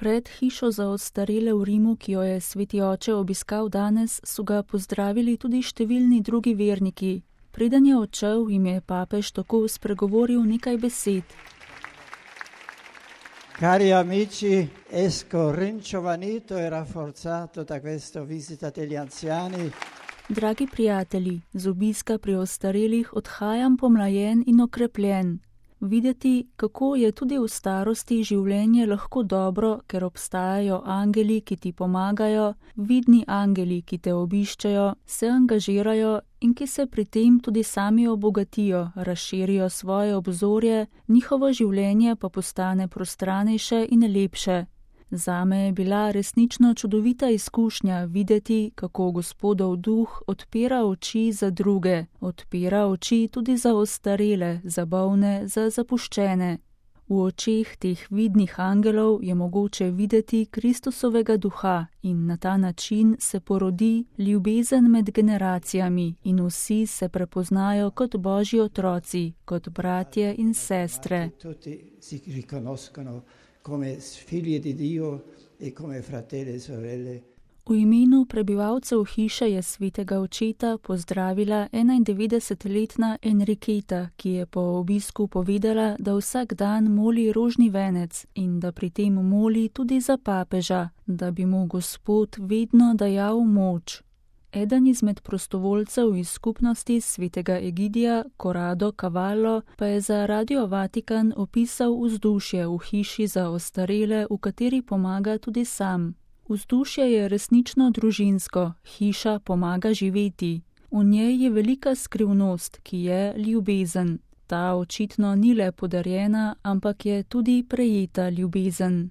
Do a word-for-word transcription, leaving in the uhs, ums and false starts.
Pred hišo za ostarele v Rimu, ki jo je sveti oče obiskal danes, so ga pozdravili tudi številni drugi verniki. Preden je odšel, jim je papež tako spregovoril nekaj besed. Cari amici, esco ringiovanito e rafforzato da questa visita degli anziani. Dragi prijatelji, z obiska pri ostarelih odhajam pomlajen in okrepljen. Videti, kako je tudi v starosti življenje lahko dobro, ker obstajajo angeli, ki ti pomagajo, vidni angeli, ki te obiščejo, se angažirajo in ki se pri tem tudi sami obogatijo, razširijo svoje obzorje, njihovo življenje pa postane prostranejše in lepše. Zame je bila resnično čudovita izkušnja videti, kako Gospodov duh odpira oči za druge, odpira oči tudi za ostarele, za bolne, za zapuščene. V očeh teh vidnih angelov je mogoče videti Kristusovega duha in na ta način se porodi ljubezen med generacijami in vsi se prepoznajo kot Božji otroci, kot bratje in sestre. Come figli di Dio e come fratelli e sorelle. V imenu prebivalcev hiše je svetega očeta pozdravila enaindevetdesetletna Enriqueta, ki je po obisku povedala, da vsak dan moli rožni venec in da pri tem moli tudi za papeža, da bi mu Gospod vedno dajal moč. Eden izmed prostovoljcev iz skupnosti svetega Egidija, Corrado Cavallo, pa je za Radio Vatikan opisal vzdušje v hiši za ostarele, v kateri pomaga tudi sam. Vzdušje je resnično družinsko, hiša pomaga živeti. V njej je velika skrivnost, ki je ljubezen. Ta očitno ni le podarjena, ampak je tudi prejeta ljubezen.